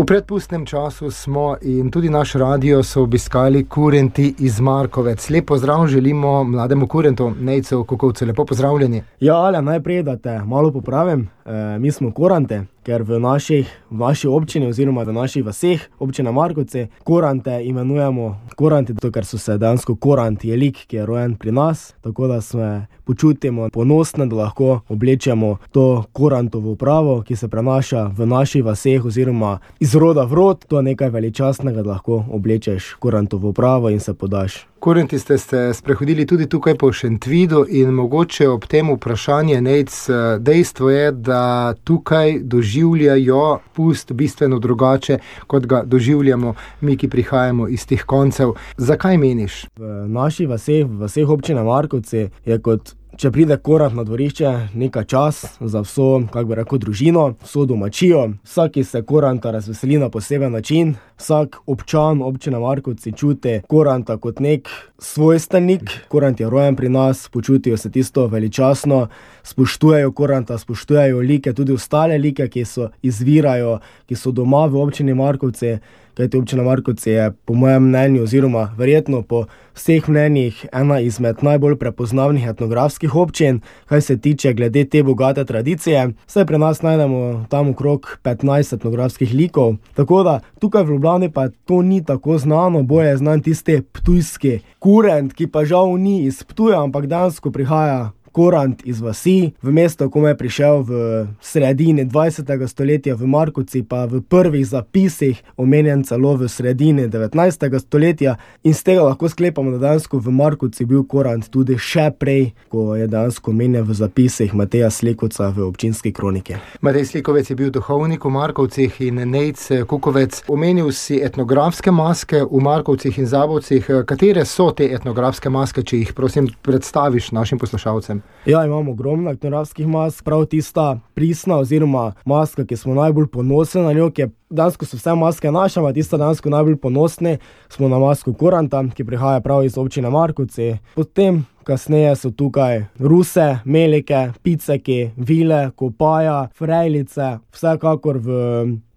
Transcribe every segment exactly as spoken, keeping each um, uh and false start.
V predpustnem času smo in tudi naš radio so obiskali kurenti iz Markovec. Lep pozdrav želimo mlademu kurentu Nejcu Kukovcu. Lepo pozdravljeni. Ja, ale, najprej, da te malo popravim. E, mi smo kurante, ker v naših, v naši občini oziroma v naših vaseh, občina Markovci, kurante imenujemo kuranti, to, ker so se dejansko kurant je lik, ki je rojen pri nas, tako da se počutimo ponosne, da lahko oblečemo to kurantovo upravo, ki se prenaša v naših vaseh oziroma iz roda v rod. To je nekaj veličastnega, da lahko oblečeš kurantovo upravo in se podaš. Kurenti ste se sprehodili tudi tukaj po Šentvidu in mogoče ob tem vprašanje, Nejc, dejstvo je, da tukaj doživljajo pust bistveno drugače, kot ga doživljamo mi, ki prihajamo iz teh koncev. Zakaj meniš? V naših vaseh, v vaseh občine Markovci je kot če pride kurant na dvorišče, neka čas za vso, kako bi rekel, družino, vso domačijo. Vsaki se kuranta razveseli na poseben način. Vsak občan občine Markovci čuti kuranta kot nek svojstvenik. Kurant je rojen pri nas, počutijo se tisto veličastno, spoštujejo kuranta, spoštujejo like, tudi ostale like, ki so izvirajo, ki so doma v občini Markovci. Kajti občina Markovci je po mojem mnenju oziroma verjetno po vseh mnenjih ena izmed najbolj prepoznavnih etnografskih občin, kaj se tiče glede te bogate tradicije. Saj pri nas najdemo tam okrog petnajst etnografskih likov, tako da tukaj v Ljubljani pa to ni tako znano, bolje je znan tisti ptujski kurent, ki pa žal ni iz Ptuja, ampak dejansko prihaja kurant iz vasi, v mesto, ko je prišel v sredini dvajsetega stoletja v Markovci, pa v prvih zapisih omenjen celo v sredini devetnajstega stoletja, in z tega lahko sklepamo, da dejansko v Markovci bil kurant tudi še prej, ko je dejansko omenjen v zapisih Mateja Slikovca v občinski kroniki. Matej Slikovec je bil duhovnik v Markovcih in Nejc Kukovec. Omenil si etnografske maske v Markovcih in Zabovcih. Katere so te etnografske maske, če jih prosim predstaviš našim poslušalcem? Ja, imamo ogromno etnografskih mask, prav tista pristna oziroma maska, ki smo najbolj ponosni na njo, ki je dansko so vse maske naše, a tista dansko najbolj ponosni, smo na masku kuranta, ki prihaja prav iz občine Markovci. Potem kasneje so tukaj ruse, melike, piceki, vile, kopaja, frejlice, vsekakor v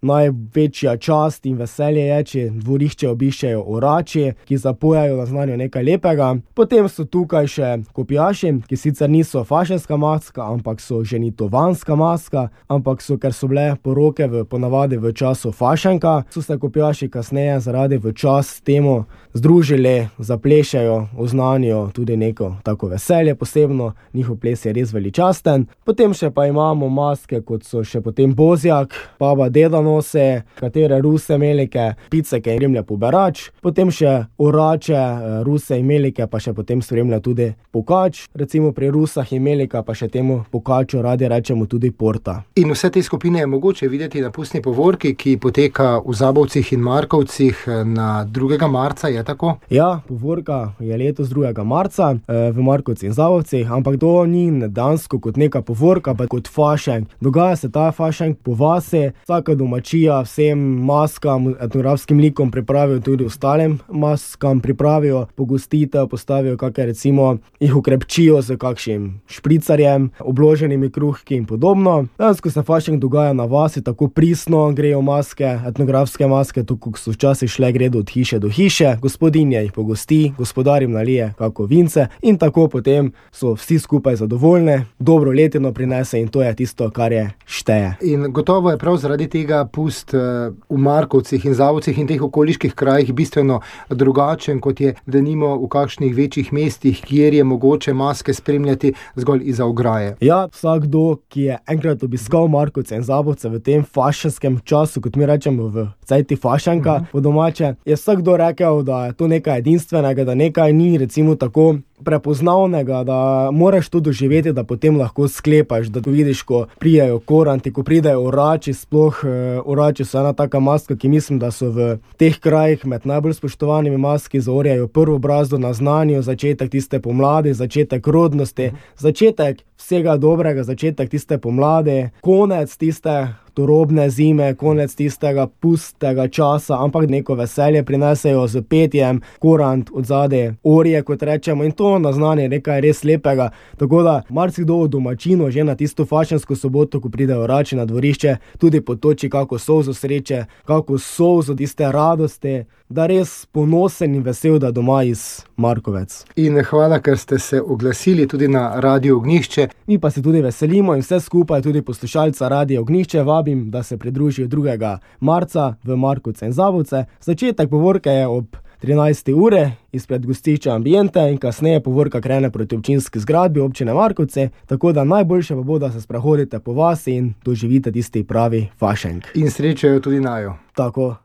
največja čast in veselje je, če dvorišče obiščejo orači, ki zapojajo na znanju nekaj lepega. Potem so tukaj še kopijaši, ki sicer niso fašenska maska, ampak so ženitovanska maska, ampak so, ker so bile poroke v, ponavadi v času fašenka, so se kopijaši kasneje zaradi v čas temu združili, zaplešajo, oznanijo tudi neko tako veselje posebno, njihov ples je res veličasten. Potem še pa imamo maske, kot so še potem bozjak, baba deda nose, katere ruse, melike, piceke in spremlja poberač. Potem še orače, ruse in melike, pa še potem spremlja tudi pokač. Recimo pri rusah in melika pa še temu pokaču radi rečemo tudi porta. In vse te skupine je mogoče videti na pustni povorki, ki poteka v Zabovcih in Markovcih na drugega marca, je tako? Ja, povorka je letos drugega marca v Markovcih in Zabovcih, ampak to ni dansko kot neka povorka, pa kot fašenk. Dogaja se ta fašenk po vasi, vsaka domačija vsem maskam, etnografskim likom pripravijo, tudi ostalim maskam pripravijo pogostitev, postavijo kakšne, recimo jih ukrepčijo z kakšnim špricarjem, obloženimi kruhki in podobno. Dansko se fašenk dogaja na vasi, tako pristno grejo maske, etnografske maske, tako so včasih šle gredo od hiše do hiše, gospodinja jih pogosti, gospodar jim nalije kako vince in tako potem so vsi skupaj zadovoljni, dobro letino prinese in to je tisto, kar je šteje. In gotovo je prav zaradi tega pust v Markovcih in Zabovcih in teh okoliških krajih bistveno drugačen, kot je denimo v kakšnih večjih mestih, kjer je mogoče maske spremljati zgolj izza ograje. Ja, vsakdo, ki je enkrat obiskal Markovce in Zabovce v tem fašenskem času, kot mi rečemo v cajti fašenka, uh-huh. po domače, je vsakdo rekel, da je to nekaj edinstvenega, da nekaj ni recimo tako prepoznavnega, da moraš to doživeti, da potem lahko sklepaš, da to vidiš, ko prijajo koranti, ko pridajo orači, sploh eh, orači so ena taka maska, ki mislim, da so v teh krajih med najbolj spoštovanimi maski, zaorjajo prvo brazdo na znanju, začetek tiste pomladi, začetek rodnosti, začetek vsega dobrega, začetek tiste pomladi, konec tiste turobne zime, konec tistega pustega časa, ampak neko veselje prinesejo z petjem, korant od zadaj, orje, kot rečemo, in to naznanje nekaj res lepega. Tako da marsikdo od domačinov že na tisto fašensko soboto, ko pridejo rači na dvorišče, tudi potoči kako solzo sreče, kako solzo tiste radosti, da res ponosen in vesel, da doma iz Markovec. In hvala, ker ste se oglasili tudi na Radio Ognjišče. Mi pa se tudi veselimo in vse skupaj, tudi poslušalca Radio Ognjišče, vabim, da se pridružijo drugega marca v Markovce in Zabovce. Začetek povorke je ob trinajsti ure izpred gostišča Ambiente in kasneje povorka krene proti občinski zgradbi občine Markovce, tako da najboljše pa bo, da se sprehodite po vasi in doživite tisti pravi fašenk. In srečajo tudi najo. Tako.